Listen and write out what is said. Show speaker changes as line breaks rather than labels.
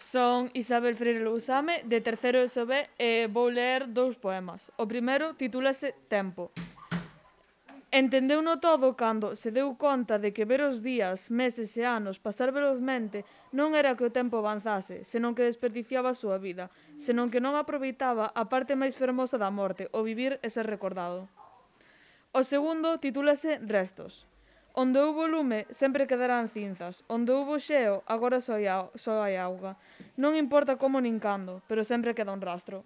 Son Isabel Freire Lousame, de terceiro ESO B, e vou ler dous poemas. O primeiro titúlase Tempo. Entendeuno todo cando se deu conta de que ver os días, meses e anos pasar velozmente non era que o tempo avanzase, senón que desperdiciaba a súa vida, senón que non aproveitaba a parte máis fermosa da morte, o vivir e ser recordado. O segundo titúlase Restos. Onde houbo lume sempre quedarán cinzas, onde houbo xeo agora só hai auga. Non importa como nin cando, pero sempre queda un rastro.